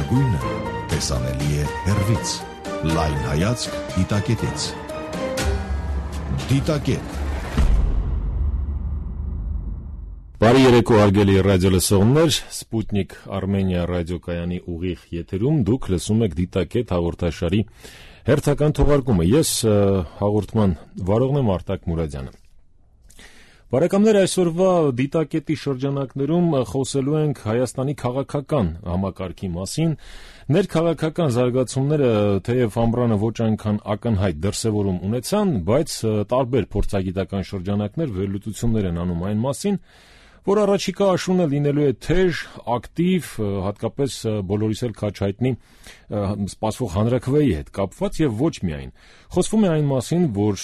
լավագույնը տեսանելի է հեռվից։ Լայն հայացք դիտակետից։ Դիտակետ։ Բարի երեկո հարգելի ռադիոլսողներ, Սպուտնիկ Արմենիա ռադիոկայանի ուղիղ եթերում դուք լսում եք Դիտակետ հաղորդաշարի հերթական թողարկումը։ Ես հաղորդման վարողն եմ Արտակ Մուրադյանը։ Բարեկամներ, այսօրվա Դիտակետի շրջանակներում խոսելու ենք Հայաստանի քաղաքական համակարգի մասին։ Ներքաղաքական զարգացումները թեև ամռանը ոչ այնքան ակնհայտ դրսևորում ունեցան, բայց տարբեր փորձագիտական շրջանակներ վերլուծություններ են անում այն մասին, որ առաջիկա աշունը լինելու է թեժ, ակտիվ, հատկապես բոլորիս էլ քաջ հայտնի սպասվող հանրաքվեի հետ կապված եւ ոչ միայն։ Խոսվում է այն մասին, որ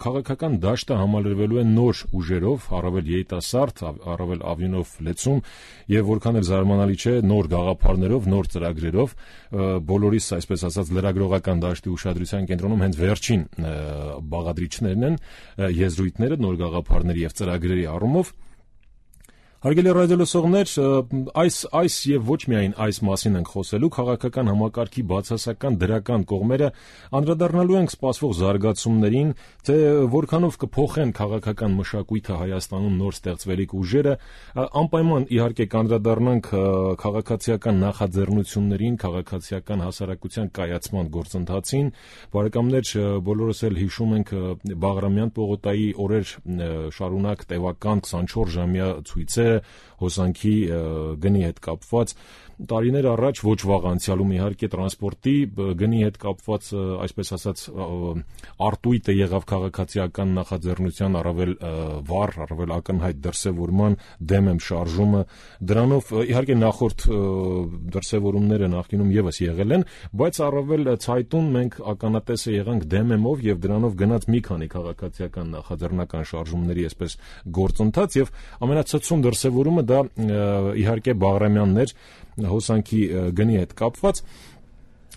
քաղաքական դաշտը համալրվելու է նոր ուժերով, առավել երիտասարդ, առավել ավյունով լեցուն եւ որքան էլ զարմանալի չէ, նոր գաղափարներով, նոր ծրագրերով, բոլորիս, այսպես ասած, լրագրողական դաշտի ուշադրության կենտրոնում հենց վերջին բաղադրիչներն են, եզրույթները նոր գաղափարների եւ ծրագրերի առումով։ Հարգելի ռադիոլսողներ, այս եւ ոչ միայն այս մասին ենք խոսելու, քաղաքական համակարգի բացասական դրական կողմերը անդրադառնալու ենք սպասվող զարգացումներին, թե որքանով կփոխեն քաղաքական մշակույթը Հայաստանում նոր ստեղծվելիք ուժերը, անպայման իհարկե կանդրադառնանք քաղաքացիական նախաձեռնություններին, քաղաքացիական հասարակության կայացման գործընթացին։ Բարեկամներ, բոլորս էլ հիշում ենք Բաղրամյան պողոտայի օրեր շարունակ տևական 24 ժամյա ցույցը հոսանքի գնի հետ կապված, տարիներ առաջ ոչ վաղ անցյալում իհարկե տրանսպորտի գնի հետ կապված, այսպես ասած, արտույտը եղավ քաղաքացիական նախաձեռնության առավել վառ, առավել ակնհայտ դրսևորման դեմ եմ շարժումը, դրանով իհարկե նախորդ դրսևորումները նախկինում եւս եղել են, բայց առավել ցայտուն մենք ականատեսը եղանք դեմեմով եւ դրանով գնաց մի քանի քաղաքացիական նախաձեռնական շարժումների այսպես գործընթաց եւ ամենացածուն դրսևորումը դա իհարկե Բաղրամյանն էր հոսանքի գնի հետ կապված։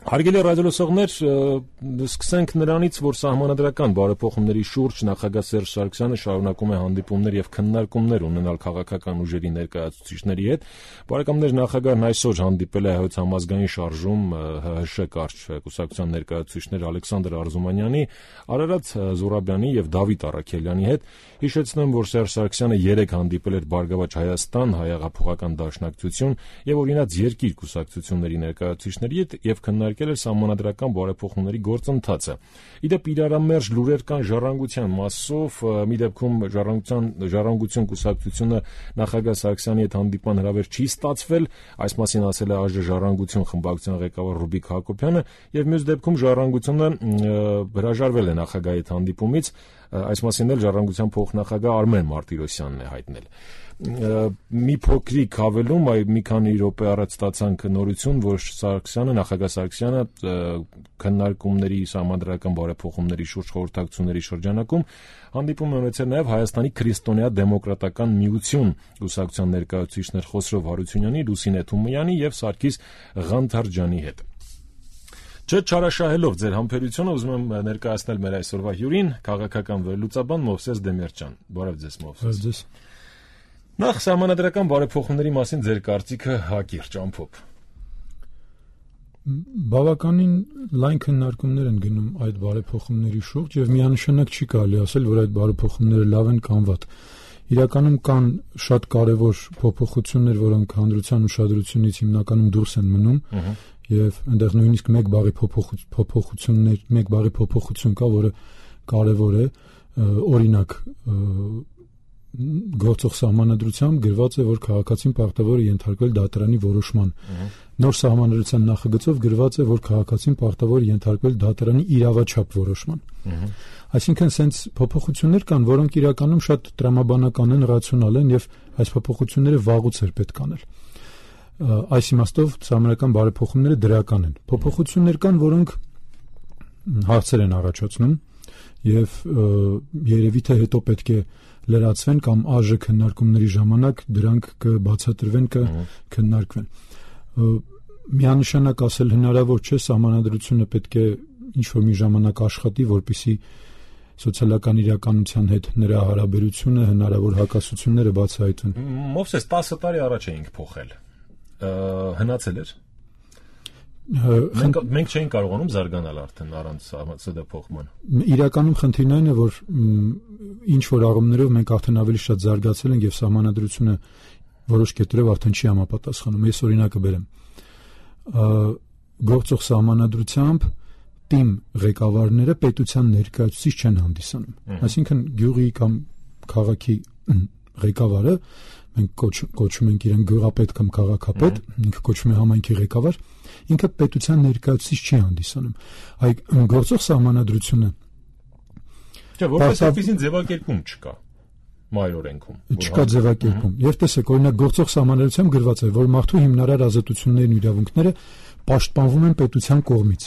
Հարգելի ռադիոլսողներ, սկսենք նրանից, որ սահմանադրական բարեփոխումների շուրջ նախագահ Սերժ Սարգսյանը շարունակում է հանդիպումներ եւ քննարկումներ ունենալ քաղաքական ուժերի ներկայացուցիչների հետ։ Բարեկամներ, նախագահն այսօր հանդիպել է Հայոց համազգային շարժում ՀՀՇ կարճ կուսակցության ներկայացուցիչներ Ալեքսանդր Արզումանյանի, Արարատ Զուրաբյանի եւ Դավիթ Առաքելյանի հետ։ Հիշեցնեմ, որ Սերժ Սարգսյանը 3 հանդիպել էր Բարգավաճ Հայաստան հայեղափոխական դաշնակցություն եւ օրինաց երկիր կուսակցությունների ներկայացուցիչների հետ եւ քննարկել էր սահմանադրական բարեփոխումների գործընթացը։ Իդեպ իրարամերժ լուրեր կան ժառանգության մասով, մի դեպքում ժառանգություն կուսակցությունը նախագահ Սարգսյանի հետ հանդիպման հրավեր չի ստացվել, այս մասին ասել է ԱԺ ժառանգություն խմբակցության ղեկավար Ռուբիկ Հակոբյանը, եւ մյուս դեպքում ժառանգությունը հրաժարվել է նախագահի հետ հանդիպումից, այս մասին էլ ժառանգության փոխնախագահ Արմեն Մարտիրոսյանն է հայտնել։ Մի փոքրիկ հավելում, մի քանի րոպե առաջ ստացանք նորություն, որ նախագահ Սարգսյանը քննարկումների սահմանադրական բարեփոխումների շուրջ խորհրդակցությունների շրջանակում հանդիպում է ունեցել նաև Հայաստանի քրիստոնյա դեմոկրատական միություն կուսակցության ներկայացուցիչներ Խոսրով Հարությունյանի, Լուսինե Թումոյանի եւ Սարգիս Ղանթարջյանի հետ։ Չարաշահելով ձեր համբերությունը, ուզում եմ ներկայացնել մեր այսօրվա հյուրին, քաղաքական վերլուծաբան Մովսես Դեմիրճյան։ Բարև ձեզ, Մովսես։ Նախ սահմանադրական բարեփոխումների մասին ձեր կարծիքը հակիրճ ամփոփ։ Բավականին լայն քննարկումներ են գնում այդ բարեփոխումների շուրջ եւ միանշանակ չի կարելի ասել, որ այդ բարեփոխումները լավ են կամ վատ։ Իրականում կան շատ կարևոր փոփոխություններ, որոնք հանրության ուշադրությունից հիմնականում դուրս են մնում եւ այնտեղ նույնիսկ մեկ բառի փոփոխություն կա, որը կարևոր է, օրինակ գործող սահմանադրությամբ գրված է, որ քաղաքացին պարտավոր է ենթարկվել դատարանի որոշման։ Նոր սահմանադրության նախագծով գրված է, որ քաղաքացին պարտավոր է ենթարկվել դատարանի իրավաչափ որոշման։ Այսինքն սենց փոփոխություններ կան, որոնք իրականում շատ տրամաբանական են, ռացիոնալ են եւ այս փոփոխությունները վաղուց էր պետք անել։ Այս իմաստով սահմանադրական բարեփոխումները դրական են։ Փոփոխություններ կան, որոնք հարցեր են առաջացնում եւ երևի թե հետո պետք է լրացվեն կամ ԱԺ քննարկումների ժամանակ դրանք կբացատրվեն, կքննարկվեն։ Միանշանակ ասել հնարավոր չէ, սահմանադրությունը պետք է ինչ-որ մի ժամանակ աշխատի, որպեսզի սոցիալական իրականության հետ նրա հարաբերությունը, հնարավոր հակասությունները բացահայտվեն։ Մովսես 10 տարի առաջ էինք փոխել։ Հնացել էր։ Մենք չենք կարողանում զարգանալ արդեն առանց ՍԴ-փոխման։ Իրականում խնդիրն այն է, որ ինչ որ առումներով մենք արդեն ավելի շատ զարգացել ենք եւ սահմանադրությունը որոշ կետերով արդեն չի համապատասխանում։ Ես օրինակը բերեմ։ Գործող սահմանադրությամբ թիմ ղեկավարները պետության ներկայացուցիչ չեն հանդիսանում։ Այսինքն գյուղի կամ քաղաքի ղեկավարը, մենք կոչում ենք իրեն գյուղապետ կամ քաղաքապետ, ինքը կոչվում է համայնքի ղեկավար, ինքը պետության ներկայացուցիչ չի հանդիսանում։ Այ գործող սահմանադրությունը Չէ, որպես այդպիսին ձևակերպում չկա մայր օրենքում։ Չկա ձևակերպում։ Եվ տեսեք, օրինակ գործող սահմանադրությամբ գրված է, որ մարդու հիմնարար ազատություններն ու իրավունքները պաշտպանվում են պետության կողմից։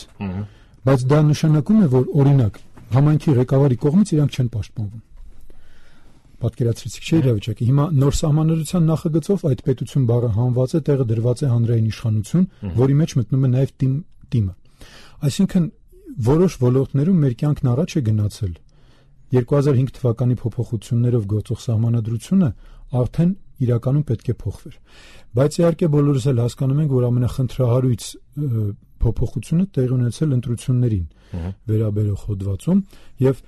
Բայց դա նշանակում է, որ օրինակ համայնքի ղեկավարի կողմից իրանք չեն պաշտպանվում։ Պատկերացրեցիք, չէ՞ իրավիճակը։ Հիմա նոր սահմանադրության նախագծով այդ պետություն բառը հանված է, տեղը դրված է հանրային իշխանություն, որի մեջ մտնում է նաև թիմը։ Այսինքն որոշ ոլորտներում մեր կյանքն առաջ է գնացել։ 2005 թվականի փոփոխություններով գործող սահմանադրությունը արդեն իրականում պետք է փոխվեր։ Բայց իհարկե բոլորս էլ հասկանում ենք, որ ամենախնդրահարույց փոփոխությունը տեղի ունեցել ընտրություններին վերաբերող հոդվածում, եւ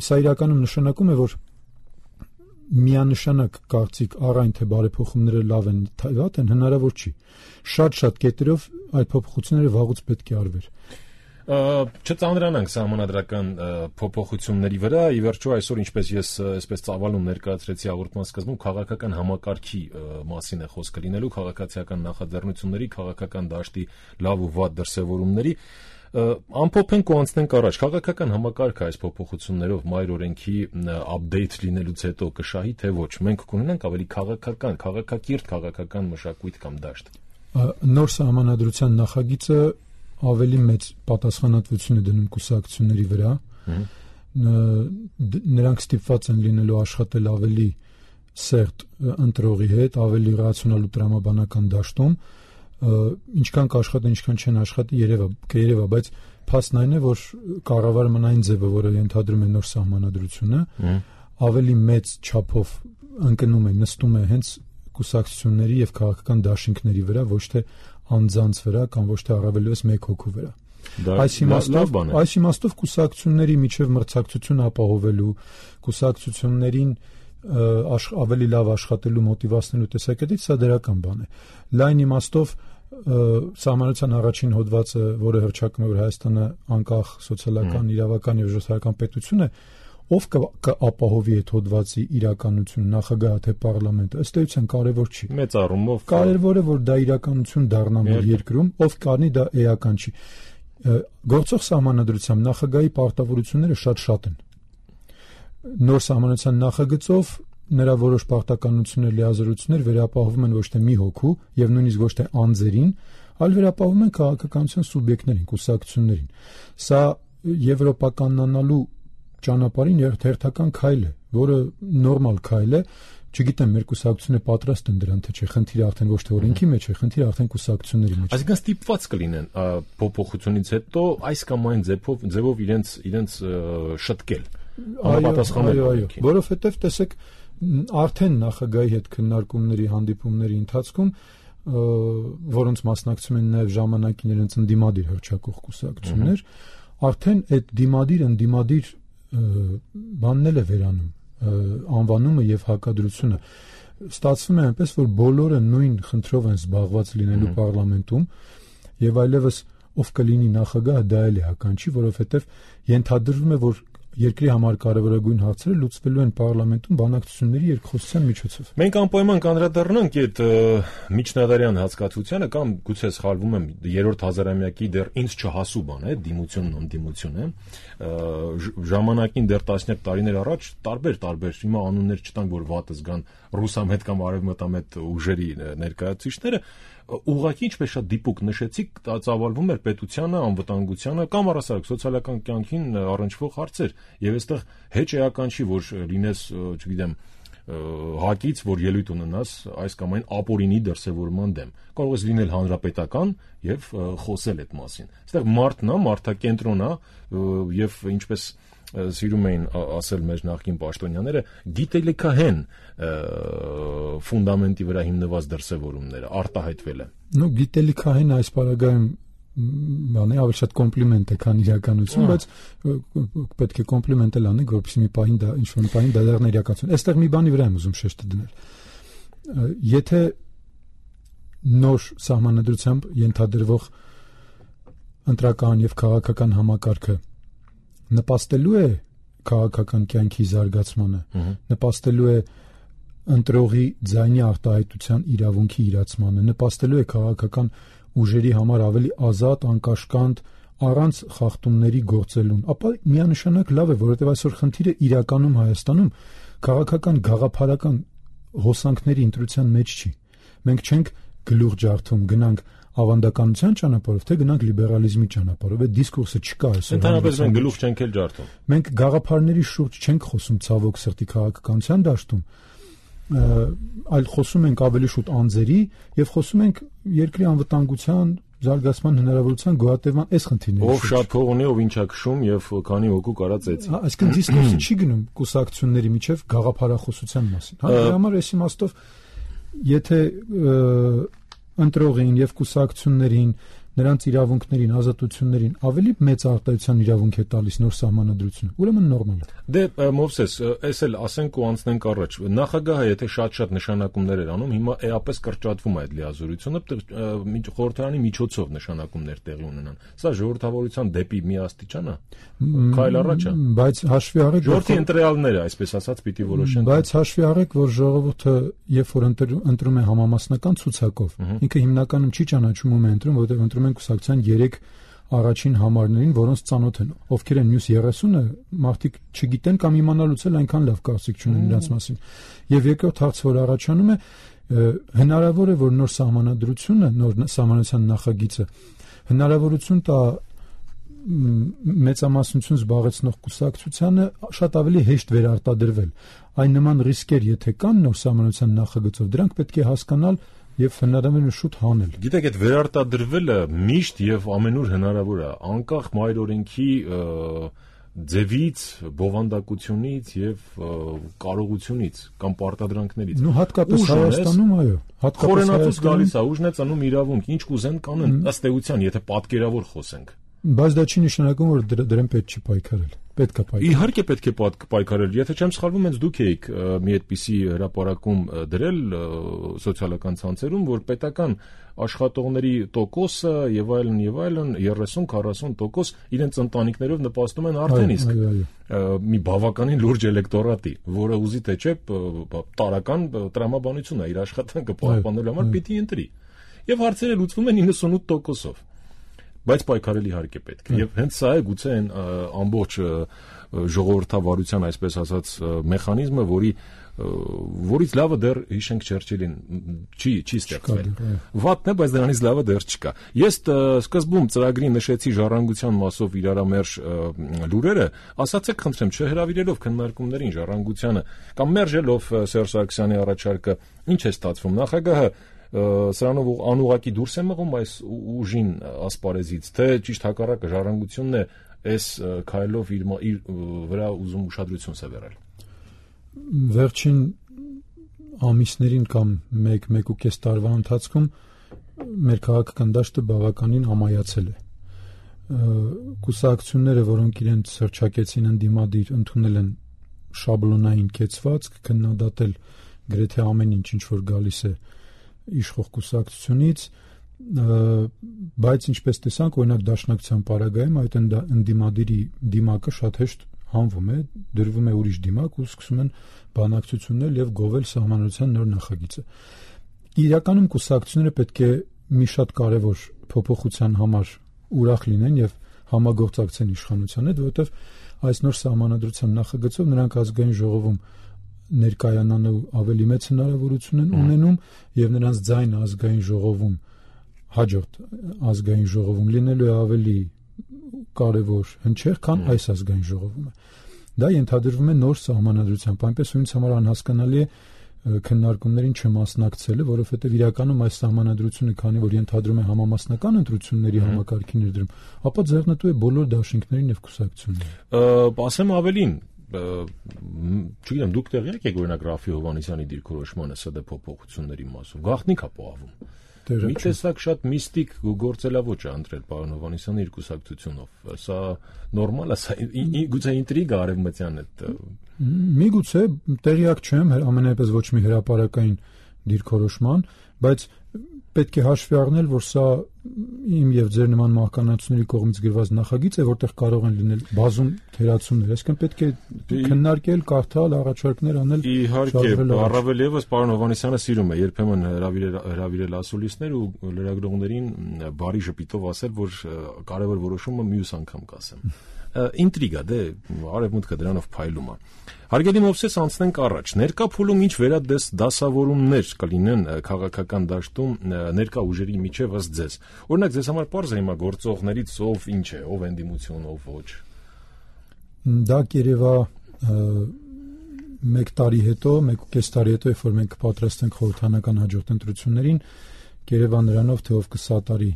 սա իրականում նշանակում է, որ միանշանակ կարծիք առայն թե բարեփոխումները լավ են, թե վատ են, հնարավոր չի։ Շատ կետերով այդ փոփոխությունները վաղուց պետք է արվեր։ Չծանրանանք սահմանադրական փոփոխությունների վրա, ի վերջո այսօր ինչպես ես այսպես ծավալուն ներկայացրեցի հաղորդման սկզբում, քաղաքական համակարգի մասին է խոսքը լինելու, քաղաքացիական նախաձեռնությունների, քաղաքական դաշտի լավ ու վատ դրսևորումների, ամփոփենք ու անցնենք առաջ։ Քաղաքական համակարգը այս փոփոխություններով մայր օրենքի update լինելուց հետո կշահի թե ոչ։ Մենք կունենանք ավելի քաղաքակիրթ քաղաքական մշակույթ կամ դաշտ։ Նոր սահմանադրության նախագիծը ավելի մեծ պատասխանատվություն է դնում կուսակցությունների վրա։ Նրանք ստիպված են լինելու աշխատել ավելի սերտ ընտրողի հետ, ավելի ռացիոնալ ու տրամաբանական դաշտում։ Ինչքան կաշխատեն, ինչքան չեն աշխատի, երևա, բայց փաստն այն է, որ կառավարը մնային ձևը, որը ենթադրում է նոր սահմանադրությունը, ավելի մեծ չափով ընկնում է, նստում է հենց կուսակցությունների եւ քաղաքական դաշինքների վրա, ոչ թե անձանց վրա կամ ոչ թե առավելևս մեկ հոգու վրա։ Այս իմաստով կուսակցությունների միջև մրցակցություն ապահովելու, կուսակցություններին ավելի լավ աշխատելու մոտիվացնելու տեսակետից սա դրական բան է։ Լայն իմաստով սահմանադրության առաջին հոդվածը, որը հռչակում է, որ Հայաստանը անկախ սոցիալական, իրավական եւ ժողովրդական պետություն է, ով կապահովի այդ հոդվածի իրականություն, նախագահը թե պարլամենտը, ըստ էության կարևոր չի։ Մեծ առումով կարևորը որ դա իրականություն դառնա մեր երկրում, ով կանի դա էական չի։ Գործող սահմանադրությամբ նախագահի պարտավորությունները շատ են։ Նոր սահմանադրության նախագծով նրա որոշ պարտականություններ, լիազորություններ վերապահովում են ոչ թե մի հոգու եւ նույնիսկ ոչ թե անձերին, այլ վերապահովում են քաղաքականության սուբյեկտներին, կուսակցություններին։ Սա եվրոպականանալու ճանապարհին հերթական քայլ է, որը նորմալ քայլ է, չգիտեմ, մեր կուսակցությունները պատրաստ են դրան, թե չէ, խնդիրը արդեն ոչ թե օրենքի մեջ է, խնդիրը արդեն կուսակցությունների մեջ է։ Այսինքն ստիպված կլինեն փոփոխությունից հետո այս կամ այն ձևով իրենց շտկել։ Այո, որովհետև տեսեք, արդեն նախագահի հետ քննարկումների, հանդիպումների ընթացքում, որոնց մասնակցում են նաև ժամանակին իրենց ընդդիմադիր հռչակող կուսակցություններ, արդեն այդ ընդդիմադիր բանն էլ է վերանում, անվանումը եւ հակադրությունը։ Ստացվում է այնպես, որ բոլորը նույն խնդրով են զբաղված լինելու պարլամենտում եւ այլևս ով կլինի նախագահը դա էլ է հականչի, որովհետեւ ենթադրվում է, որ երկրի համար կարևորագույն հարցերը լուծվելու են պարլամենտում բանակցությունների երկխոսության միջոցով։ Մենք անպայման կանդրադառնանք այդ միջնադարյան հասկացությանը կամ գուցե սխալվում եմ, երրորդ հազարամյակի դեռ ինձ չհասու բան է, դիմությունն անդիմություն է։ Ժամանակին դեռ տասնյակ տարիներ առաջ տարբեր հիմա անուններ չտանք, որ վատը զգան ռուսամետ կամ արևմտամետ ուժերի ներկայացուցիչները, ուղղակի ինչպես շատ դիպուկ նշեցիք, ծավալվում էր պետությանը, անվտանգությանը կամ առասարակ սոցիալական կյանքին առնչվող հարցեր, եւ այստեղ հեչ էական չի, որ լինես, չգիտեմ, հակից, որ ելույթ ունենաս այս կամ այն ապօրինի դրսևորման դեմ։ Կարող ես լինել հանրապետական եւ խոսել այդ մասին։ Այստեղ մարդն է, մարդակենտրոն է եւ ինչպես սիրում էին ասել մեր նախկին պաշտոնյաները, գիտելիքահեն ֆունդամենտի վրա հիմնված դրսևորումները արտահայտվել են։ Գիտելիքահեն այս պարագայում բանը ավելի շատ կոմպլիմենտ է, քան իրականություն, բայց պետք է կոմպլիմենտ էլ անենք, որպեսզի մի պահին դա ինչ-որ պահին դա դեռ իրականություն։ Այստեղ մի բանի վրա եմ ուզում շեշտը դնել։ Եթե նոր սահմանադրությամբ ենթադրվող ընտրական եւ քաղաքական համակարգը նպաստելու է քաղաքական կյանքի զարգացմանը, նպաստելու է ընտրողի ձայնի արտահայտության իրավունքի իրացմանը, նպաստելու է քաղաքական ուժերի համար ավելի ազատ, անկաշկանդ, առանց խախտումների գործելուն, ապա միանշանակ լավ է, որովհետև այսօր խնդիրը իրականում Հայաստանում քաղաքական գաղափարական հոսանքների ընտրության մեջ չի։ Մենք չենք գլուխ ջարդում, գնանք ավանդականության ճանապարհով, թե գնանք լիբերալիզմի ճանապարհով։ Այդ դիսկուրսը չկա այսօր։ Ընդհանրապես մենք գլուխ չենք էլ ջարդում։ Մենք գաղափարների շուրջ չենք խոսում ցավոք սրտի քաղաքականության դաշտում, այլ խոսում ենք ավելի շուտ անձերի եւ խոսում ենք երկրի անվտանգության, զարգացման հնարավորության գոյատևման այս խնդիրների։ Ով շատ փող ունի, ով ինչա քշում եւ քանի հոգու կարած էցի։ Այսինքն դիսկուրսը չի գնում կուսակցությունների միջև գաղափարախոսության մասին։ Դրա համար այս իմաստով եթե ընտրողին եւ կուսակցություններին, նրանց իրավունքներին, ազատություններին ավելի մեծ արտահայտության իրավունք է տալիս նոր սահմանադրությունը, ուրեմն նորմալ է։ Դե Մովսես, այս էլ ասենք ու անցնենք առաջ։ Նախագահը եթե շատ նշանակումներ էր անում, հիմա էապես կրճատվում է այդ լիազորությունը, խորհրդարանի միջոցով նշանակումներ տեղի ունենան։ Սա ժողովրդավարության դեպի մի աստիճան է։ Քայլ առաջ է։ Բայց հաշվի առեք, ժողովրդի ընտրյալները, այսպես ասած, պիտի որոշեն։ Բայց հաշվի առեք, որ ժողովուրդը, երբ որ ընտրում է համամասնական ցուցակով, ինքը հիմնականում չի ճանաչում ում է ընտրում, որովհետև ընտրում են կուսակցության 3 առաջին համարներին, որոնց ծանոթ են։ Ովքեր են մյուս 30-ը, մարդիկ չգիտեն կամ իմանալուց էլ այնքան լավ կարծիք չունեն նրանց մասին։ Եվ երկրորդ հարցը, որ առաջանում է, հնարավոր է, որ նոր սահմանադրությունը, նոր սահմանության նախագիծը հնարավորություն տա մեծամասնություն զբաղեցնող կուսակցությանը շատ ավելի հեշտ վերարտադրվել։ Այն նման ռիսկեր, եթե կան նոր սահմանության նախագծով, դրանք պետք է հասկանալ եւ հնարավորինս շուտ հանել։ Գիտեք, այդ վերարտադրվելը միշտ եւ ամենուր հնարավոր է, անկախ մայր օրենքի ձևից, բովանդակությունից եւ կարողությունից կամ պարտադրանքներից։ Նու հատկապես Հայաստանում, այո, հատկապես Հայաստանում գալիս է, ուժն է ծնում իրավունք, ինչ կուզեն կանեն, ըստ էության, եթե պատկերավոր խոսենք։ Բայց դա չի նշանակում, որ դրան պետք չի պայքարել։ Պետք է պայքարել։ Իհարկե պետք է պայքարել։ Եթե չեմ սխալվում, հենց դուք եք մի այդպիսի հրապարակում դրել սոցիալական ցանցերում, որ պետական աշխատողների տոկոսը եւ այլն 30-40% իրենց ընտանիքներով նպաստում են արդեն իսկ մի բավականին լուրջ էլեկտորատի, որը ուզի թե չէ տարական տրամաբանություն է իր աշխատանքը պահպանելու համար պիտի ընտրի։ Եվ հարցերը լուծվում են 98%-ով։ Բայց պայքարել իհարկե պետք է։ Եվ հենց սա է գուցե այն ամբողջ ժողովրդավարության, այսպես ասած, մեխանիզմը, որից լավը դեռ հիշենք Չերչիլին չի ստեղծվել։ Վատն է, բայց դրանից լավը դեռ չկա։ Ես սկզբում ծրագրի նշեցի ժառանգության մասով իրարամերժ լուրերը, ասացեք խնդրեմ, չհրավիրելով քննարկումներին ժառանգությանը կամ մերժելով Սերժ Սարգսյանի առաջարկը, ինչ է ստացվում։ Նախագահը սրանով անուղակի դուրս է մղում այս ուժին ասպարեզից, թե ճիշտ հակառակը ժառանգությունն է այս քայլով իր վրա ուզում ուշադրություն սևեռել։ Վերջին ամիսներին կամ 1-1.5 տարվա ընթացքում մեր քաղաքական դաշտը բավականին ամայացել է։ Կուսակցությունները, որոնք իրենց հռչակեցին ընդդիմադիր, ընդունել են շաբլոնային կեցվածք, քննադատել գրեթե ամեն ինչ որ գալիս է իշխող կուսակցությունից, բայց ինչպես տեսանք, օրինակ Դաշնակցության պարագայում այդ ընդդիմադիրի դիմակը շատ հեշտ հանվում է, դրվում է ուրիշ դիմակ ու սկսում են բանակցություններ եւ գովել սահմանադրության նոր նախագիծը։ Իրականում կուսակցությունները պետք է մի շատ կարևոր փոփոխության համար ուրախ լինեն եւ համագործակցեն իշխանության հետ, որովհետեւ այս նոր սահմանադրության նախագծով նրանք ազգային ժողովում ներկայանալու ավելի մեծ հնարավորություն են ունենում եւ նրանց ձայնը ազգային ժողովում հաջորդ ազգային ժողովում լինելու է ավելի կարևոր հնչեղ, քան այս ազգային ժողովում է։ Դա ենթադրվում է նոր սահմանադրությամբ, այնպես որ ինձ համար անհասկանալի է քննարկումներին չմասնակցելը, որովհետեւ իրականում այս սահմանադրությունը, քանի որ ենթադրում է համամասնական ընտրությունների համակարգի ներդրում, ապա ձեռնտու է բոլոր դաշինքներին եւ կուսակցություններին։ Ասեմ ավելին, չգիտեմ, դուք տեղյակ եք օրինակ Ռաֆի Հովհաննիսյանի դիրքորոշմանը ՍԴ փոփոխությունների մասով, գաղտնիք է պահվում։ տեղը մի տեսակ շատ միստիկ գործելավոճ է ընտրել պարոն Հովհաննիսյանը իր կուսակցությունով։ Սա նորմալ է, սա գուցե ինտրիգա արևմտյան է։ Միգուցե տեղյակ չեմ, ամենայնպես ոչ մի հրապարակային դիրքորոշման, բայց պետք է հաշվի առնել, որ սա իմ եւ ձեր նման մահկանացուների կողմից գրված նախագիծ է, որտեղ կարող են լինել բազում թերացումներ, այսինքն պետք է քննարկել, կարդալ, առաջարկներ անել։ Իհարկե, առավել եւս պարոն Հովհաննիսյանը սիրում է երբեմն հրավիրել ասուլիսներ ու լրագրողներին բարի ժպիտով ասել, որ կարևոր որոշումը մյուս անգամ կասեմ։ Ինտրիգա, դե արևմուտքը դրանով փայլում է։ Հարգելի Մովսես, անցնենք առաջ։ Ներկա փուլում ինչ վերադասավորումներ կլինեն քաղաքական դաշտում ներկա ուժերի միջև ըստ ձեզ։ Օրինակ, ձեզ համար պարզ է հիմա գործողներից ով ինչ է, ով ընդդիմություն, ով ոչ։ Դա կերևա 1 տարի հետո, 1.5 տարի հետո, երբ որ մենք պատրաստենք խորհրդանական հաջորդ ընտրություններին, կերևա նրանով, թե ով կսատարի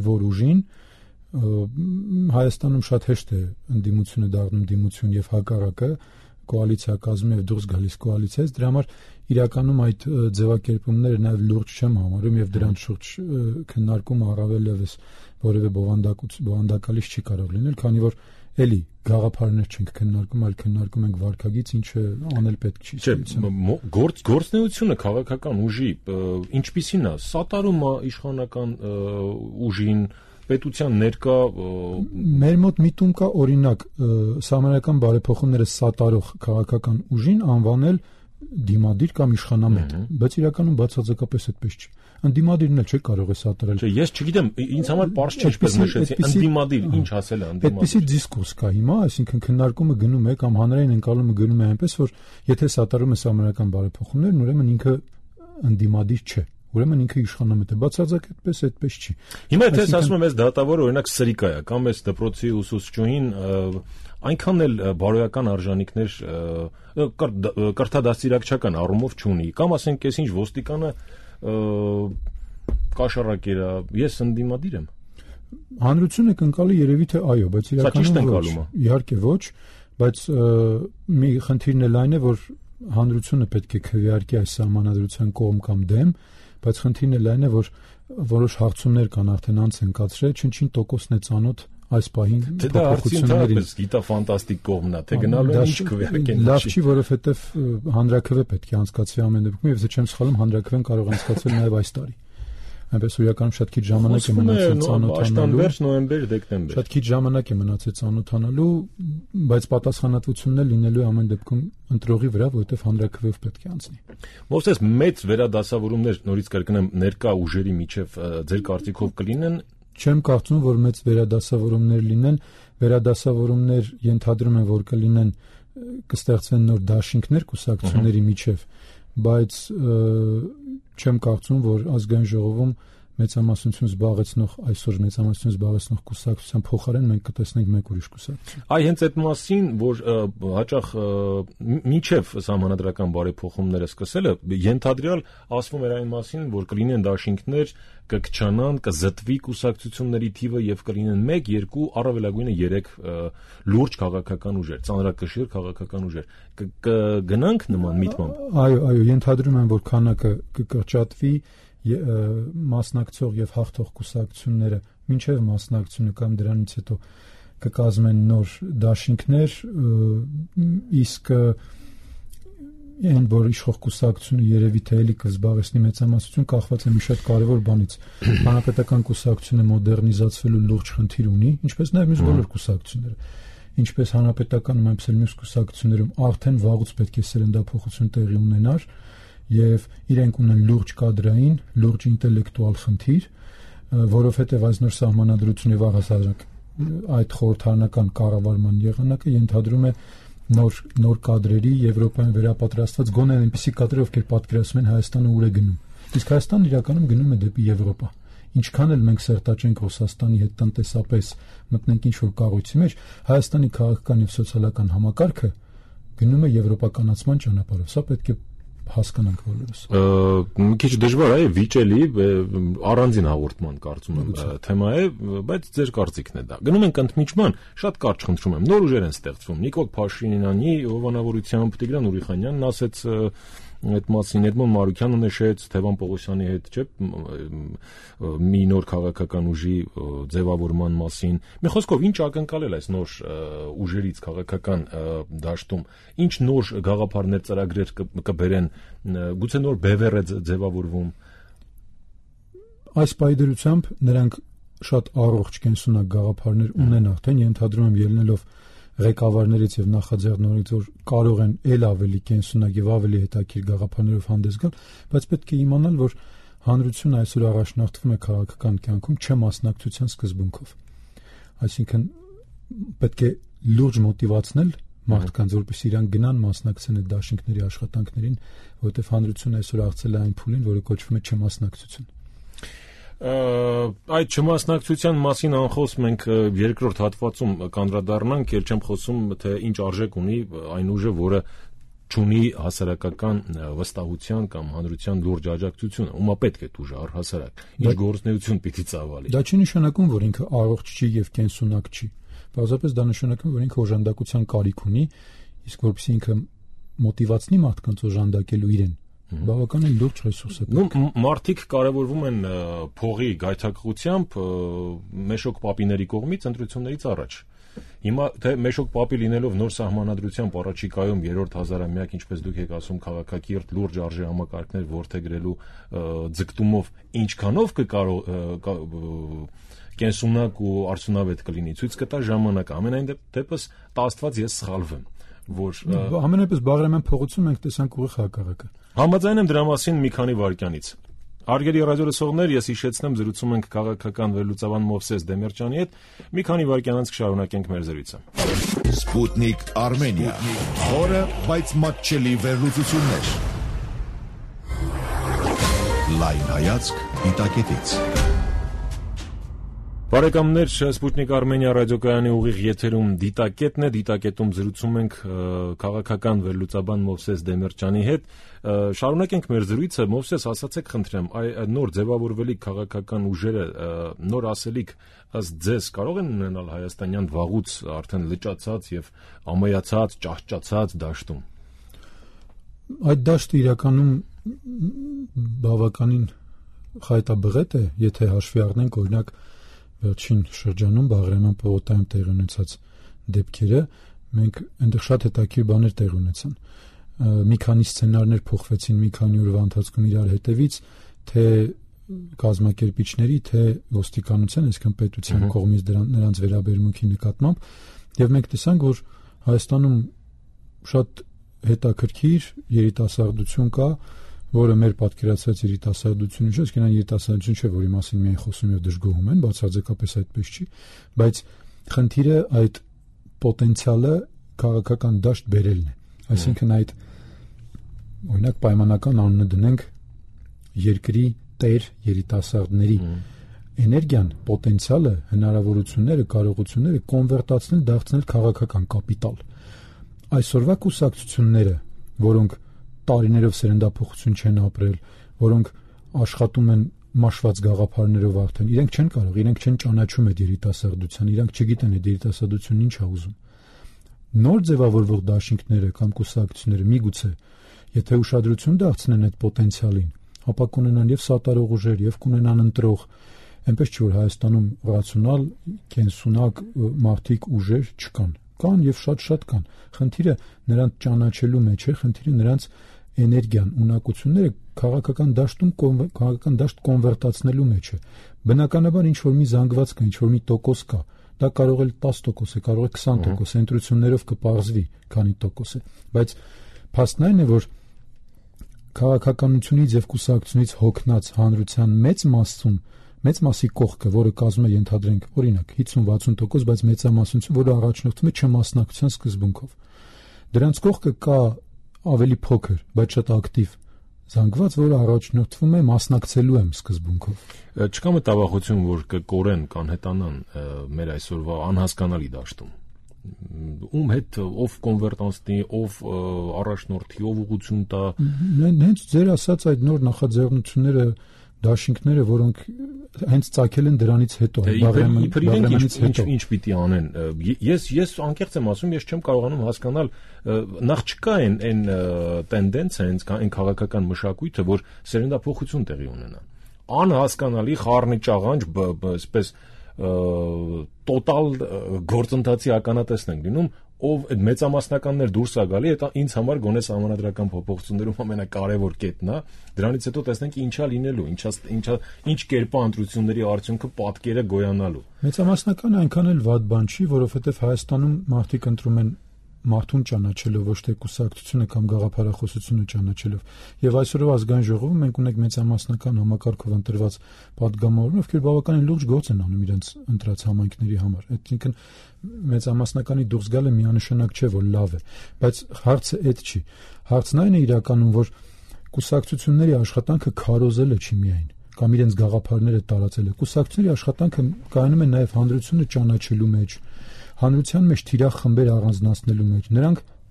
որ ուժին, Հայաստանում շատ հեշտ է ընդդիմությունը դառնում դիմություն եւ հակառակը, կոալիցիա կազմում եւ դուրս գալիս կոալիցիայից, դրա համար իրականում այդ ձևակերպումները նաեւ լուրջ չեմ համարում եւ դրանց շուրջ քննարկումը առավել եւս որևէ բովանդակալից չի կարող լինել, քանի որ էլի գաղափարներ չենք քննարկում, այլ քննարկում ենք վարքագիծ, ինչը անել պետք չի։ Գործնեությունը քաղաքական ուժի ինչպիսին է, սատարում է իշխանական ուժին, պետության ներկա մեր մոտ միտում կա օրինակ սահմանական բարեփոխումները սատարող քաղաքական ուժին անվանել դիմադիր կամ իշխանամետ, բայց իրականում բացարձակապես այդպես չի։ Ընդդիմադիրն էլ չի կարող է սատարել։ Չէ, ես չգիտեմ, ինձ համար պարզ չէ, ինչպես նշեցի, ընդդիմադիր ինչ ասել է ընդդիմադիր։ Այդպիսի դիսկուրս կա հիմա, այսինքն քննարկումը գնում է կամ հանրային ընկալումը գնում է այնպես, որ եթե սատարում է սահմանական բարեփոխումներ, ուրեմն ինքը ընդդիմադիր չէ։ Ուրեմն ինքը իշխանամետ է, բացարձակապես այդպես չի։ Հիմա եթե ասում եմ, այս դատավորը օրինակ սրիկա է, կամ այս դպրոցի ուսուցչուհին այնքան էլ բարոյական արժանինքներ կրթադաստիարակչական առումով չունի, կամ ասենք այս ինչ ոստիկանը կաշառակեր է, ես ընդդիմադիր եմ։ Հանրությունը կընկալի երևի թե այո, բայց իրականում ոչ։ Իհարկե ոչ, բայց մի խնդիրն էլ այն է, որ հանրությունը պետք է քվեարկի այս սահմանադրության կողմ կամ դեմ, բայց խնդիրն էլ այն է, որ որոշ հարցումներ կան արդեն անց են կացրել, չնչին տոկոսն է ծանոթ այս պահին փոփոխություններին։ Դա գիտա ֆանտաստիկ կողմն է, թե գնալու է ինչ քվեարկեն։ Լավ չի, որովհետև հանրաքվե պետք է անցկացվի ամեն դեպքում, եւ եթե չեմ սխալվում, հանրաքվեն կարող անցկացվել նաեւ այս տարի։ Այնպես որ իրականում շատ քիչ ժամանակ է մնացել ծանոթանալու։ Աշտանվերջ, նոյեմբեր, դեկտեմբեր։ Շատ քիչ ժամանակ է մնացել ծանոթանալու, բայց պատասխանատվությունն էլ լինելու է ամեն դեպքում ընտրողի վրա, որովհետև հանրաքվեով պետք է անցնի։ Մովսես, մեծ վերադասավորումներ նորից կրկնեմ ներկա ուժերի միջև ձեր կարծիքով կլինեն։ Չեմ կարծում, որ մեծ վերադասավորումներ լինեն, վերադասավորումներ ենթադրում են, որ կլինեն, կստեղծվեն նոր դաշինքներ կուսակցությունների միջև, բայց չեմ կարծում, որ ազգային ժողովում մեծամասնություն զբաղեցնող այսօր մեծամասնություն զբաղեցնող կուսակցության փոխարեն մենք կտեսնենք մեկ ուրիշ կուսակցություն։ Այ հենց այդ մասին, որ հաճախ միջև սահմանադրական բարեփոխումները սկսելը ենթադրյալ ասվում էր այն մասին, որ կլինեն դաշինքներ, կքչանան, կզտվի կուսակցությունների թիվը եւ կլինեն 1, 2, առավելագույնը 3 լուրջ քաղաքական ուժեր, ծանրակշիռ քաղաքական ուժեր։ Կգնանք նման միտմամբ։ Այո, ենթադրում եմ, որ քանակը կկրճատվի մասնակցող եւ հաղթող կուսակցությունները մինչեւ մասնակցությունը կամ դրանից հետո կկազմեն նոր դաշինքներ, իսկ այն որ իշխող կուսակցությունը երևի թե էլի կզբաղեցնի մեծամասնություն կախված է մի շատ կարևոր բանից։ Հանրապետական կուսակցությունը մոդեռնիզացվելու լուրջ խնդիր ունի, ինչպես նաեւ մյուս բոլոր կուսակցությունները։ Ինչպես հանրապետականում, այնպես էլ մյուս կուսակցություններում արդեն վաղուց պետք է սերնդափոխություն տեղի ունենար եւ իրենք ունեն լուրջ կադրային, լուրջ ինտելեկտուալ խնդիր, որովհետեւ այս նոր սահմանադրությունը եւ առհասարակ այդ խորհրդարանական կառավարման եղանակը ենթադրում է նոր կադրերի Եվրոպայում վերապատրաստված գոնե այնպիսի կադրեր, ովքեր պատկերացնում են Հայաստանը ուր է գնում։ Իսկ Հայաստանը իրականում գնում է դեպի Եվրոպա։ Ինչքան էլ մենք սերտաճենք Ռուսաստանի հետ տնտեսապես մտնենք ինչ-որ կառույցի մեջ, Հայաստանի քաղաքական եւ սոցիալական համակարգը գնում է եվրոպականացման ճանապարհով։ Սա պետք է հասկանանք բոլորս։ Մի քիչ դժվար է վիճելի առանձին հաղորդման կարծում եմ թեմա է, բայց ձեր կարծիքն է դա։ Գնում ենք ընդմիջման, շատ կարճ խնդրում եմ, նոր ուժեր են ստեղծվում։ Նիկոլ Փաշինյանի հովանավորությամբ Տիգրան Ուրիխանյանն ասեց այդ մասին Էդմոն Մարուկյանը նշեց, Թևան Պողոսյանի հետ չէ, մի նոր քաղաքական ուժի ձևավորման մասին։ Մի խոսքով, ինչ ակնկալել այս նոր ուժերից քաղաքական դաշտում, ինչ նոր գաղափարներ, ծրագրեր կբերեն, գուցե նոր բևեռ է ձևավորվում։ Այս պայդրությամբ նրանք շատ առողջ կենսունակ գաղափարներ ունեն արդեն, ենթադրում եմ ելնելով ղեկավարներից եւ նախաձեռնողներից, որ կարող են ել ավելի կենսունակ եւ ավելի հետաքրքիր գաղափարներով հանդես գալ, բայց պետք է իմանալ, որ հանրությունը այսօր առաջնորդվում է քաղաքական կյանքում չմասնակցության սկզբունքով։ Այսինքն պետք է լուրջ մոտիվացնել մարդկանց, որպեսզի իրանք գնան մասնակցեն այդ դաշինքների աշխատանքներին, որովհետեւ հանրությունը այսօր աղցել է այն փուլին, որը կոչվում է չմասնակցություն։ Այդ չմասնակցության մասին անխոս մենք երկրորդ հատվածում կանդրադառնանք, ել չեմ խոսում, թե ինչ արժեք ունի այն ուժը, որը չունի հասարակական վստահության կամ հանրության լուրջ աջակցությունը, ումա պետք է ուժը առհասարակ, ինչ գործունեություն պիտի ծավալի։ Դա չի նշանակում, որ ինքը առողջ չի եւ կենսունակ չի։ Պարզապես դա նշանակում, որ ինքը օժանդակության կարիք ունի, իսկ որպեսզի ինքը մոտիվացնի մարդկանց օժանդակելու իրեն, բավականին լուրջ ռեսուրս է։ Մարդիկ կարևորվում են փողի գայթակղությամբ Մեշոկ Պապիների կողմից ընտրություններից առաջ։ Հիմա թե Մեշոկ Պապի լինելով նոր սահմանադրությամբ առաջիկայում երրորդ հազարամյակ, ինչպես դուք եք ասում, քաղաքակիրթ լուրջ արժե համակարգներ որդեգրելու ձգտումով ինչքանով կենսունակ ու արդյունավետ կլինի, ցույց կտա ժամանակը։ Ամենայն դեպս տա Աստված ես սխալվեմ, որ ամենայնպես Բաղրամյան փողոցում մենք տեսանք ուղիղ հակառակը։ Համաձայն եմ դրա մասին մի քանի վայրկյանից։ Հարգելի ռադիոլսողներ, ես հիշեցնեմ, զրուցում ենք քաղաքական վերլուծաբան Մովսես Դեմիրճյանի հետ։ Մի քանի վայրկյանից կշարունակենք մեր զրույցը։ Սպուտնիկ Արմենիա, խորը, բայց մատչելի վերլուծություններ։ Լայն հայացք դիտակետից։ Բարեկամներ, Սպուտնիկ Արմենիա ռադիոկայանի ուղիղ եթերում դիտակետն է, դիտակետում զրուցում ենք քաղաքական վերլուծաբան Մովսես Դեմիրճյանի հետ։ Շարունակենք մեր զրույցը։ Մովսես, ասացեք խնդրեմ, նոր ձևավորվելիք քաղաքական ուժերը նոր ասելիք ըստ ձեզ կարող են ունենալ հայաստանյան վաղուց արդեն լճացած եւ ամայացած, ճահճացած դաշտում։ Այդ դաշտը իրականում բավականին խայտաբղետ է, եթե հաշվի առնենք օրինակ վերջին շրջանում Բաղրամյան պողոտայում տեղի ունեցած դեպքերը, մենք այնտեղ շատ հետաքրքիր բաներ տեղի ունեցան։ Մի քանի սցենարներ փոխվեցին մի քանի օրվա ընթացքում իրար հետևից, թե կազմակերպիչների, թե ոստիկանության, այսինքն պետության կողմից նրանց վերաբերմունքի նկատմամբ, եւ մենք տեսանք, որ Հայաստանում շատ հետաքրքիր երիտասարդություն կա, որը մեր պատկերացած երիտասարդությունը չէ, այսինքն այն երիտասարդություն չէ, որի մասին միայն խոսում եւ դժգոհում են, բացարձակապես այդպես չի, բայց խնդիրը այդ պոտենցիալը քաղաքական դաշտ բերելն է։ Այսինքն այդ օրինակ պայմանական անունը դնենք երկրի տեր երիտասարդների էներգիան, պոտենցիալը, հնարավորությունները, կարողությունները կոնվերտացնել, դարձնել քաղաքական կապիտալ։ Այսօրվա կուսակցությունները, որոնք տարիներով սերնդափոխություն չեն ապրել, որոնք աշխատում են մաշված գաղափարներով արդեն, իրենք չեն կարող, իրենք չեն ճանաչում այդ երիտասարդության, իրենք չգիտեն այդ երիտասարդությունն ինչ է ուզում։ Նոր ձևավորվող դաշինքները կամ կուսակցությունները միգուցե, եթե ուշադրություն դարձնեն այդ պոտենցիալին, ապա կունենան եւ սատարող ուժեր, եւ կունենան ընտրող, այնպես չէ որ Հայաստանում ռացիոնալ, կենսունակ մարդիկ ուժեր չկան։ Կան եւ շատ կան։ Խնդիրը նրանց ճանաչելու մեջ է, խնդիրը նրանց էներգիան, ունակությունները քաղաքական դաշտում քաղաքական դաշտ կոնվերտացնելու մեջ է։ Բնականաբար ինչ որ մի զանգված կա, ինչ որ մի տոկոս կա, դա կարող է 10% է, կարող է 20%, ընտրություններով կպարզվի, քանի տոկոս է, բայց փաստն այն է, որ քաղաքականությունից եւ կուսակցությունից հոգնած հանրության մեծ մասի կողքը, որը կազմում է ենթադրենք, օրինակ 50-60%, բայց մեծամասնություն, որը առաջնորդվում է չմասնակցության սկզբունքով։ Դրանց կողքը կա ավելի փոքր, բայց շատ ակտիվ զանգված, որը առաջնորդվում է մասնակցելու եմ սկզբունքով։ Չկա մտավախություն, որ կկորեն, կանհետանան մեր այսօրվա անհասկանալի դաշտում։ Ում հետ ով կոնվերտանսնի, ով առաջնորդի, ով ուղղություն տա։ Հենց ձեր ասած այդ նոր նախաձեռնությունները դաշինքները, որոնք հենց ծագել են դրանից հետո, Բաղրամյանից հետո ինչ պիտի անեն։ Ես անկեղծ եմ ասում, ես չեմ կարողանում հասկանալ, նախ չկա այն տենդենսը, այն քաղաքական մշակույթը, որ սերնդափոխություն տեղի ունենա։ Անհասկանալի խառնի ճաղանջ, այսպես տոտալ գործընթացի ականատեսն ենք լինում, ով այդ մեծամասնականներ դուրս է գալի, դա ինձ համար գոնե սահմանադրական փոփոխություններում ամենակարևոր կետն է։ Դրանից հետո տեսնենք ինչա լինելու, ինչ կերպա ընտրությունների արդյունքը պատկերը գոյանալու։ Մեծամասնականը այնքան էլ վատ բան չի, որովհետև Հայաստանում մարդիկ ընտրում են մարդուն ճանաչելով, ոչ թե կուսակցությունը կամ գաղափարախոսությունը ճանաչելով։ Եվ այսօրվա ազգային ժողովում մենք ունենք մեծամասնական համակարգով ընտրված падգամավորներ, ովքեր բավականին լուրջ գործ են անում իրենց ընտրած համայնքների համար։ Այսինքն մեծամասնականի դուրս գալը միանշանակ չէ, որ լավ է, բայց հարցը այդ չի։ Հարցն այն է իրականում, որ կուսակցությունների աշխատանքը քարոզելը չի միայն, կամ իրենց գաղափարները տարածելը։ Կուսակցությունների աշխատանքը կայանում է նաև հանրությունը ճանաչելու մեջ, հանրության մեջ թիրախ խմբեր առանձնացնելու մեջ,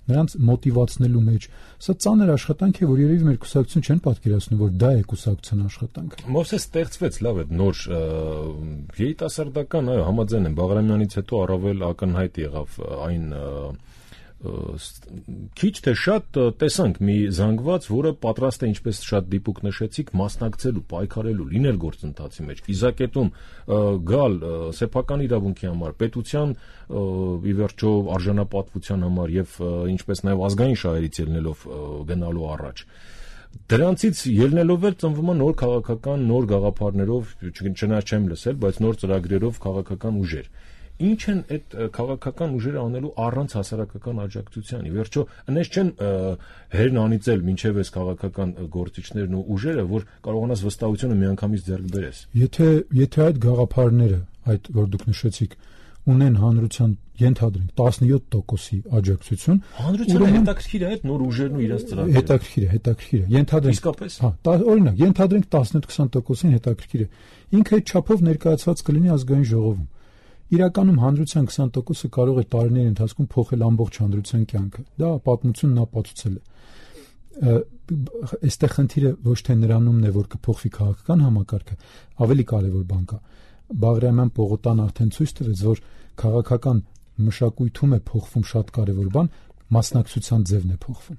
նրանց մոտիվացնելու մեջ։ Սա ծանր աշխատանք է, որ երևի մեր կուսակցությունը չեն պատկերացնում, որ դա է կուսակցության աշխատանքը։ Մովսես ստեղծվեց լավ այդ նոր երիտասարդական, այո, համաձայն եմ, Բաղրամյանից հետո առավել ակնհայտ եղավ այն քիչ թե շատ տեսանք մի զանգված, որը պատրաստ է, ինչպես շատ դիպուկ նշեցիք, մասնակցելու, պայքարելու, լինել գործընթացի մեջ, իզակետում գալ սեփական իրավունքի համար, պետության ի վերջո արժանապատվության համար եւ ինչպես նաեւ ազգային շահերից ելնելով գնալու առաջ։ Դրանցից ելնելով էլ ծնվում է նոր քաղաքական, նոր գաղափարներով, չնայած չեմ լսել, բայց նոր ծրագրերով քաղաքական ուժեր։ Ինչ են այդ քաղաքական ուժերը անելու առանց հասարակական աջակցության։ Ի վերջո, այնպես չեն հերն անիծել մինչև այս քաղաքական գործիչներն ու ուժերը, որ կարողանաս վստահությունը միանգամից ձեռք բերես։ Եթե այդ գաղափարները, այդ որ դուք նշեցիք, ունեն հանրության ենթադրենք 17%-ի աջակցություն, հանրությունը հետաքրքիր է այդ նոր ուժերն ու իրենց ծրագրերը։ Հետաքրքիր է։ Ենթադրենք իսկապես։ Օրինակ, ենթադրենք 18-20%-ին հետաքրքիր է։ Ինքը այդ չափով ներկայացված կլինի ազգային ժողովում։ Իրականում հանրության 20%-ը կարող է տարիների ընթացքում փոխել ամբողջ հանրության կյանքը։ Դա պատմությունն ապացուցել է։ Այստեղ խնդիրը ոչ թե նրանումն է, որ կփոխվի քաղաքական համակարգը, ավելի կարևոր բան կա։ Բաղրամյան Պողոտան արդեն ցույց տվեց, որ քաղաքական մշակույթում է փոխվում շատ կարևոր բան, մասնակցության ձևն է փոխվում։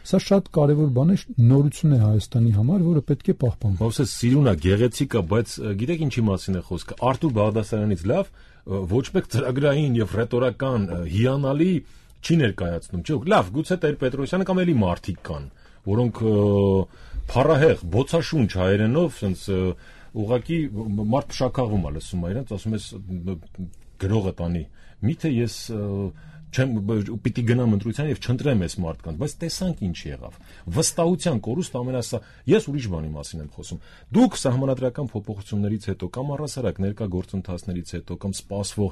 Սա շատ կարևոր բան է, նորություն է Հայաստանի համար, որը պետք է պահպանվի։ Մովսես սիրուն է, գեղեցիկ է, բայց գիտեք ինչի մասին է խոսքը։ Արտուր Բաղդասարյանից լավ ոչ մեկ ծրագրային եւ ռետորական հիանալի չի ներկայացնում, չէ՞։ Լավ, գուցե Տեր-Պետրոսյանը կամ էլի մարդիկ կան, որոնք փառահեղ, բոցաշունչ հայերենով, ասենց ուղղակի մարդ փշակաղում է լսում իրենց, ասում ես գրողը տանի։ Միթե ես պիտի գնամ ընտրության եւ չընտրեմ այս մարդկանց, բայց տեսանք ինչ եղավ։ Վստահության կորուստ ամենասա։ Ես ուրիշ բանի մասին եմ խոսում։ Դուք սահմանադրական փոփոխություններից հետո կամ առհասարակ ներկա գործընթացներից հետո կամ սպասվող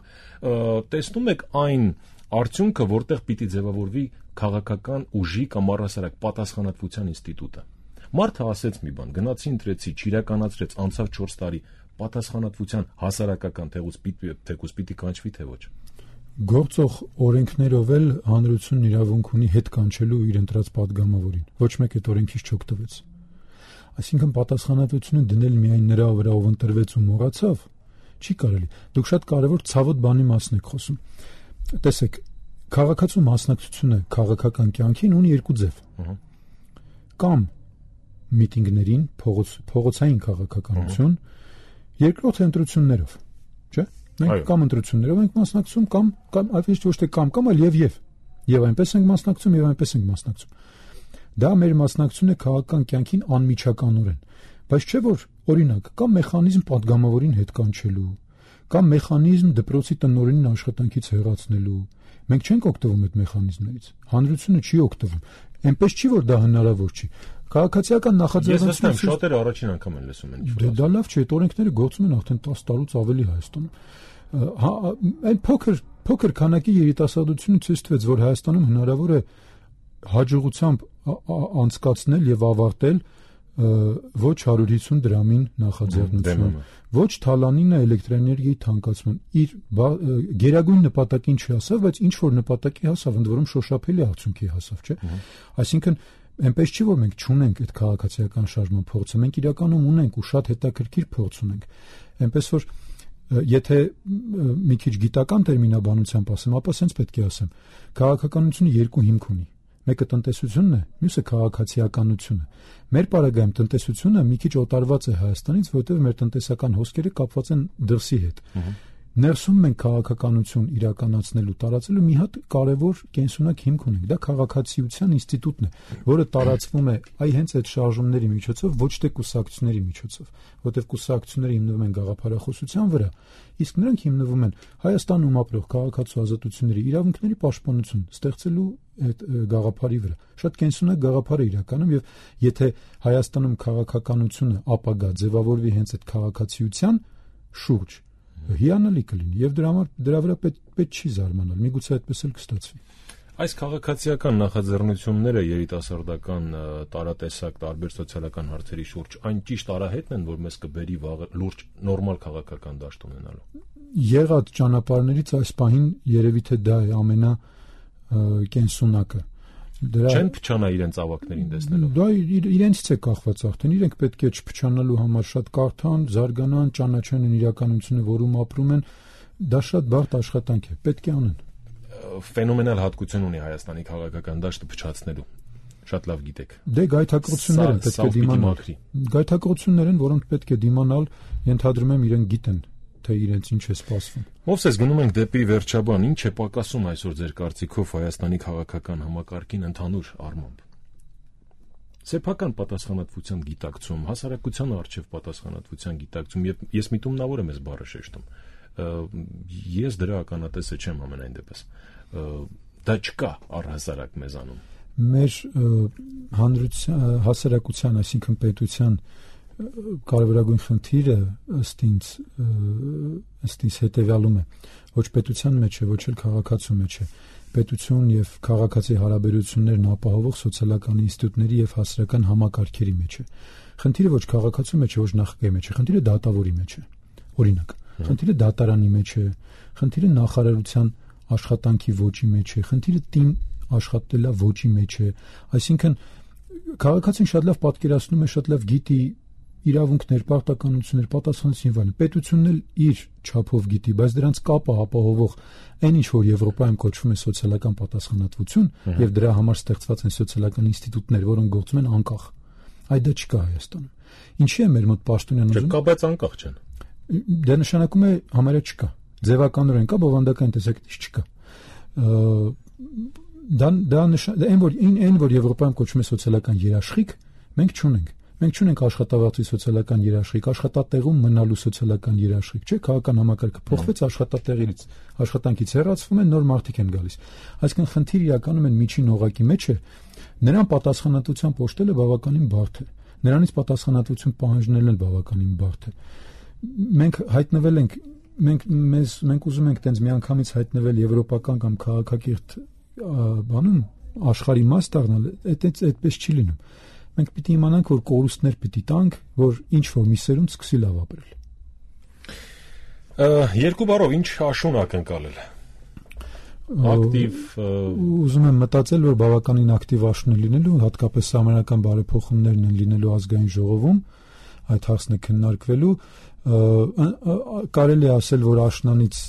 տեսնում եք այն արդյունքը, որտեղ պիտի ձևավորվի քաղաքական ուժի կամ առհասարակ պատասխանատվության ինստիտուտը։ Մարդը ասեց մի բան, գնացի ընտրեցի, չիրականացրեց, անցավ 4 տարի, պատասխանատվության հասարակական թեկուզ պիտի կանչվի թե ոչ։ Գործող օրենքներով էլ հանրությունն իրավունք ունի հետ կանչելու իր ընտրած падգամավորին։ Ոչ մեկ այդ օրենքից չօգտվեց։ Այսինքն պատասխանատվությունը դնել միայն նրա վրա, ով ընտրվեց ու մոռացավ, չի կարելի։ Դուք շատ կարևոր ցավոտ բանի մասին եք խոսում։ Տեսեք, քաղաքացու մասնակցությունը քաղաքական կյանքին ունի երկու ձև։ Կամ միտինգներին, փողոցային քաղաքականություն, երկրորդ ընտրություններով, չէ՞։ Մենք կամ ընտրություններով ենք մասնակցում, կամ այլ ոչ թե կամ այլ եւ այնպես ենք մասնակցում եւ այնպես ենք մասնակցում։ Դա մեր մասնակցությունն է քաղաքական կյանքին անմիջականորեն, բայց չէ որ օրինակ կամ մեխանիզմ падգամավորին հետ կանչելու, կամ մեխանիզմ դպրոցի տնօրենին աշխատանքից հեռացնելու։ Մենք չենք օգտվում այդ մեխանիզմներից։ Հանրությունը չի օգտվում։ Այնպես չի որ դա հնարավոր չի։ Քաղաքացիական նախաձեռնությունը ես շատերը առաջին անգամ են լսում են ինչ-որ։ Դա լավ չէ, այդ օրենքները գործում են արդեն 10 տարուց ավելի Հայաստանում։ Այն փոքր քանակի երիտասարդությունը ցույց տվեց, որ Հայաստանում հնարավոր է հաջողությամբ անցկացնել եւ ավարտել ոչ 150 դրամին նախաձեռնություն, ոչ թալանինը էլեկտրոէներգիայի թանկացման։ Իր գերագույն նպատակին չհասավ, բայց ինչ որ նպատակի հասավ, ընդ որում շոշափելի արդյունքի հասավ, չէ՞։ Այսինքն Այնպես չի, որ մենք չունենք այդ քաղաքացիական շարժման փորձը, մենք իրականում ունենք ու շատ հետաքրքիր փորձ ունենք։ Այնպես որ եթե մի քիչ գիտական տերմինաբանությամբ ասեմ, ապա ասենց պետք է ասեմ, քաղաքականությունը երկու հիմք ունի։ Մեկը տնտեսությունն է, մյուսը քաղաքացիականությունը։ Մեր պարագայում տնտեսությունը մի քիչ օտարված է Հայաստանից, որովհետև մեր տնտեսական հոսքերը կապված են դրսի հետ։ Ներսում մենք քաղաքականություն իրականացնելու, տարածելու մի հատ կարևոր կենսունակ հիմք ունենք։ Դա քաղաքացիության ինստիտուտն է, որը տարածվում է հենց այդ շարժումների միջոցով, ոչ թե կուսակցությունների միջոցով, որովհետև կուսակցությունները հիմնվում են գաղափարախոսության վրա, իսկ նրանք հիմնվում են Հայաստանում ապրող քաղաքացու ազատությունների իրավունքների պաշտպանություն ստեղծելու այդ գաղափարի վրա։ Շատ կենսունակ գաղափար է իրականում, եւ եթե Հայաստանում քաղաքականությունը ապագա ձևավորվի հենց այդ քաղաքացիության շուրջ, հիանալի կլինի եւ դրա վրա պետք չի զարմանալ, միգուցե այդպես էլ կստացվի։ Այս քաղաքացիական նախաձեռնությունները երիտասարդական տարատեսակ տարբեր սոցիալական հարցերի շուրջ այն ճիշտ արահետն են, որ մեզ կբերի վաղը լուրջ նորմալ քաղաքական դաշտ ունենալու։ Եղած ճանապարհներից այս պահին երևի թե դա է ամենակենսունակը։ Չեն փչանա իրենց ավակներին տեսնելով։ Դա իրենցից է կախված արդեն, իրենք պետք է չփչանալու համար շատ կարդան, զարգանան, ճանաչեն են իրականությունը, որում ապրում են, դա շատ բարդ աշխատանք է, պետք է անեն։ Ֆենոմենալ հատկություն ունի Հայաստանի քաղաքական դաշտը փչացնելու։ Շատ լավ գիտեք։ Դե գայթակղություններ են պետք է դիմանալ։ Գայթակղություններ են, որոնք պետք է դիմանալ, ենթադրում եմ իրենք գիտեն, թե իրենց ինչ է սպասվում։ Մովսես, գնում ենք դեպի վերջաբան, ինչ է պակասում այսօր ձեր կարծիքով Հայաստանի քաղաքական համակարգին ընդհանուր առմամբ։ Սեփական պատասխանատվության գիտակցում, հասարակության առջև պատասխանատվության գիտակցում, եւ ես միտումնավոր եմ այս բառը շեշտում։ Ես դրա ականատեսը չեմ ամենայն դեպս։ Դա չկա առհասարակ մեզանում։ Մեր հասարակության, այսինքն պետության կարևորագույն խնդիրը ըստ ինձ հետևյալում է, ոչ պետության մեջ է, ոչ էլ քաղաքացու մեջ է, պետություն եւ քաղաքացի հարաբերություններն ապահովող սոցիալական ինստիտուտների եւ հասարակական համակարգերի մեջ է։ Խնդիրը ոչ քաղաքացու մեջ է, ոչ նախագահի մեջ է, խնդիրը դատավորի մեջ է։ Օրինակ, խնդիրը դատարանի մեջ է, խնդիրը նախարարության աշխատանքի ոճի մեջ է, խնդիրը տին աշխատելա ոճի մեջ է, այսինքն քաղաքացին շատ լավ պատկերացնում է, շատ լավ գիտի իրավունքներ, պարտականություններ, պատասխանատվություն եւ այլն։ Պետությունն էլ իր չափով գիտի, բայց դրանց կապը ապահովող այն ինչ որ Եվրոպայում կոչվում է սոցիալական պատասխանատվություն եւ դրա համար ստեղծված են սոցիալական ինստիտուտներ, որոնք գործում են անկախ։ Այդ դա չկա Հայաստանում։ Ինչի է մեր մոտ պաշտոնյան ուզում։ Չկա, բայց անկախ չեն։ Դա նշանակում է համարյա չկա։ Ձևականորեն կա, բովանդական տեսակետից չկա։ Այն որ Եվրոպայում կոչվում է սոցիալական երաշխիք, մենք չունենք։ Մենք չունենք աշխատավարձի սոցիալական երաշխիք, աշխատատեղում մնալու սոցիալական երաշխիք, չէ՞, քաղաքական համակարգը փոխվեց աշխատանքից հեռացվում են, նոր մարդիկ են գալիս։ Այսինքն խնդիրը իրականում են միջին օղակի մեջ է, նրան պատասխանատվության պոշտելը բավականին բարդ է։ Նրանից պատասխանատվություն պահանջելն էլ բավականին բարդ է։ Մենք հայտնվել ենք, մենք ուզում ենք տենց միանգամից հայտնվել եվրոպական կամ քաղաքակիրթ բանում աշխարհի մաս դառնալ, այդպես չի լինում։ Մենք պիտի իմանանք, որ կորուստներ պիտի տանք, որ ինչ որ մի սերունդ սկսի լավ ապրել։ Երկու բառով ինչ աշուն ակնկալել։ Ակտիվ ուզում եմ մտածել, որ բավականին ակտիվ աշուն է լինելու, հատկապես համանական բարեփոխումներն են լինելու ազգային ժողովում, այդ հարցն է քննարկվելու։ Կարելի է ասել, որ աշնանից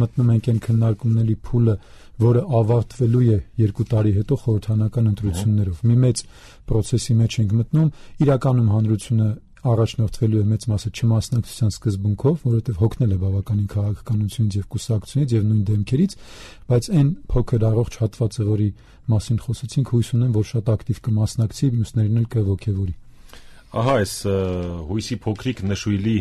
մտնում ենք այն քննարկումների փուլը, որը ավարտվելու է 2 տարի հետո խորհրդարանական ընտրություններով։ Մի մեծ process-ի մեջ ենք մտնում, իրականում հանրությունը առաջնորդվելու է մեծ մասը չմասնակցության սկզբունքով, որովհետև հոգնել է բավականին քաղաքականությունից եւ կուսակցությունից եւ նույն դեմքերից, բայց այն փոքր առողջ հատվածը, որի մասին խոսեցինք, հույս ունեմ, որ շատ ակտիվ կմասնակցի, մյուսներին էլ կողոքեվորի։ Ահա այս հույսի փոքրիկ նշույլի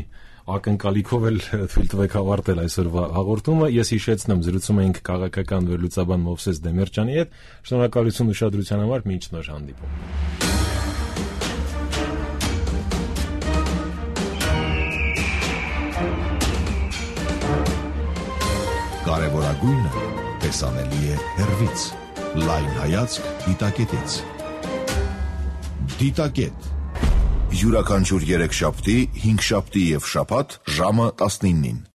ակնկալիքով էլ թույլ տվեք ավարտել այսօրվա հաղորդումը։ Ես հիշեցնեմ, զրուցում էինք քաղաքական վերլուծաբան Մովսես Դեմիրճյանի հետ։ Շնորհակալություն ուշադրության համար, մինչ նոր հանդիպում։ Կարևորագույնը տեսանելի է հեռվից։ Լայն հայացք դիտակետից։ Դիտակետ յուրաքանչյուր 3 շաբթի, 5 շաբթի եւ շաբաթ ժամը 19-ին։